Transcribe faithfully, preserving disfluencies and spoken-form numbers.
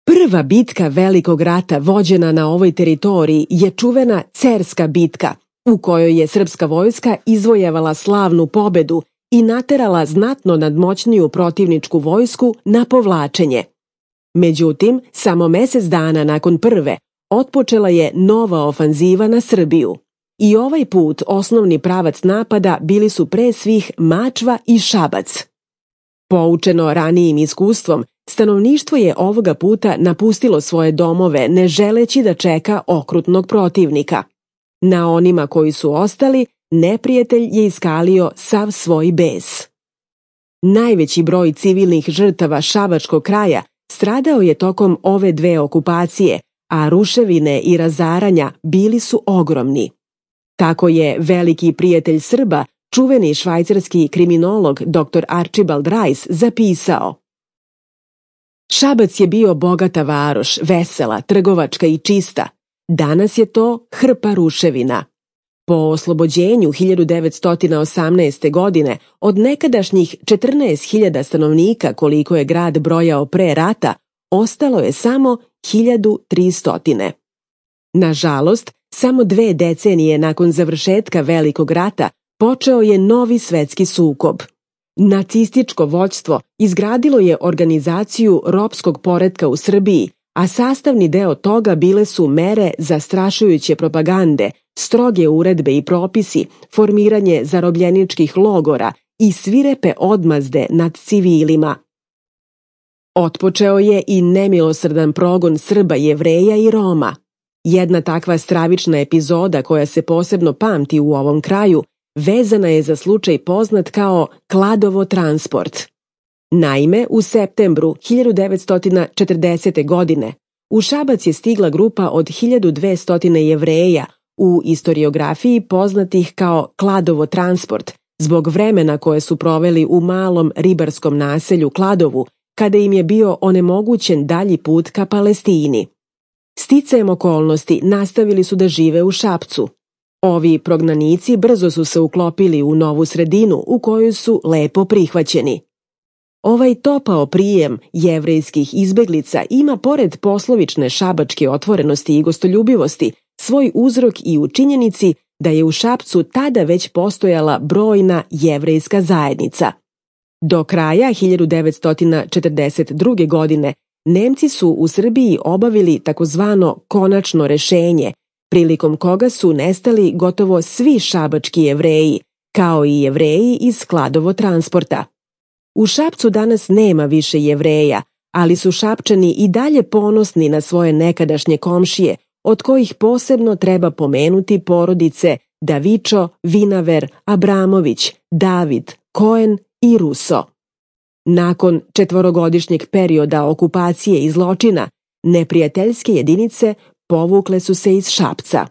Prva bitka Velikog rata vođena na ovoj teritoriji je čuvena Cerska bitka, u kojoj je srpska vojska izvojevala slavnu pobedu i naterala znatno nadmoćniju protivničku vojsku na povlačenje. Međutim, samo mesec dana nakon prve otpočela je nova ofanziva na Srbiju. I ovaj put osnovni pravac napada bili su pre svih Mačva i Šabac. Poučeno ranijim iskustvom, stanovništvo je ovoga puta napustilo svoje domove ne želeći da čeka okrutnog protivnika. Na onima koji su ostali, neprijatelj je iskalio sav svoj bes. Najveći broj civilnih žrtava šabačkog kraja stradao je tokom ove dve okupacije, a ruševine i razaranja bili su ogromni. Tako je veliki prijatelj Srba, čuveni švajcarski kriminolog doktor Archibald Rice zapisao: Šabac je bio bogata varoš, vesela, trgovačka i čista. Danas je to hrpa ruševina. Po oslobođenju hiljadu devetsto osamnaeste. godine od nekadašnjih četrnaest hiljada stanovnika koliko je grad brojao pre rata, ostalo je samo hiljadu tristo. Nažalost, samo dve decenije nakon završetka Velikog rata počeo je novi svetski sukob. Nacističko vođstvo izgradilo je organizaciju ropskog poretka u Srbiji, a sastavni deo toga bile su mere zastrašujuće propagande, stroge uredbe i propisi, formiranje zarobljeničkih logora i svirepe odmazde nad civilima. Otpočeo je i nemilosrdan progon Srba, Jevreja i Roma. Jedna takva stravična epizoda koja se posebno pamti u ovom kraju vezana je za slučaj poznat kao Kladovo transport. Naime, u septembru hiljadu devetsto četrdesete. godine u Šabac je stigla grupa od hiljadu dvesta Jevreja, u istoriografiji poznatih kao Kladovo transport, zbog vremena koje su proveli u malom ribarskom naselju Kladovu, kada im je bio onemogućen dalji put ka Palestini. Sticajem okolnosti nastavili su da žive u Šapcu. Ovi prognanici brzo su se uklopili u novu sredinu u kojoj su lepo prihvaćeni. Ovaj topao prijem jevrejskih izbeglica ima pored poslovične šabačke otvorenosti i gostoljubivosti svoj uzrok i u činjenici da je u Šapcu tada već postojala brojna jevrejska zajednica. Do kraja hiljadu devetsto četrdeset druge. godine Nemci su u Srbiji obavili takozvano konačno rešenje, prilikom koga su nestali gotovo svi šabački Jevreji, kao i Jevreji iz Kladovo transporta. U Šapcu danas nema više Jevreja, ali su Šapčani i dalje ponosni na svoje nekadašnje komšije, od kojih posebno treba pomenuti porodice Davičo, Vinaver, Abramović, David, Koen i Ruso. Nakon četvorogodišnjeg perioda okupacije i zločina, neprijateljske jedinice povukle su se iz Šapca.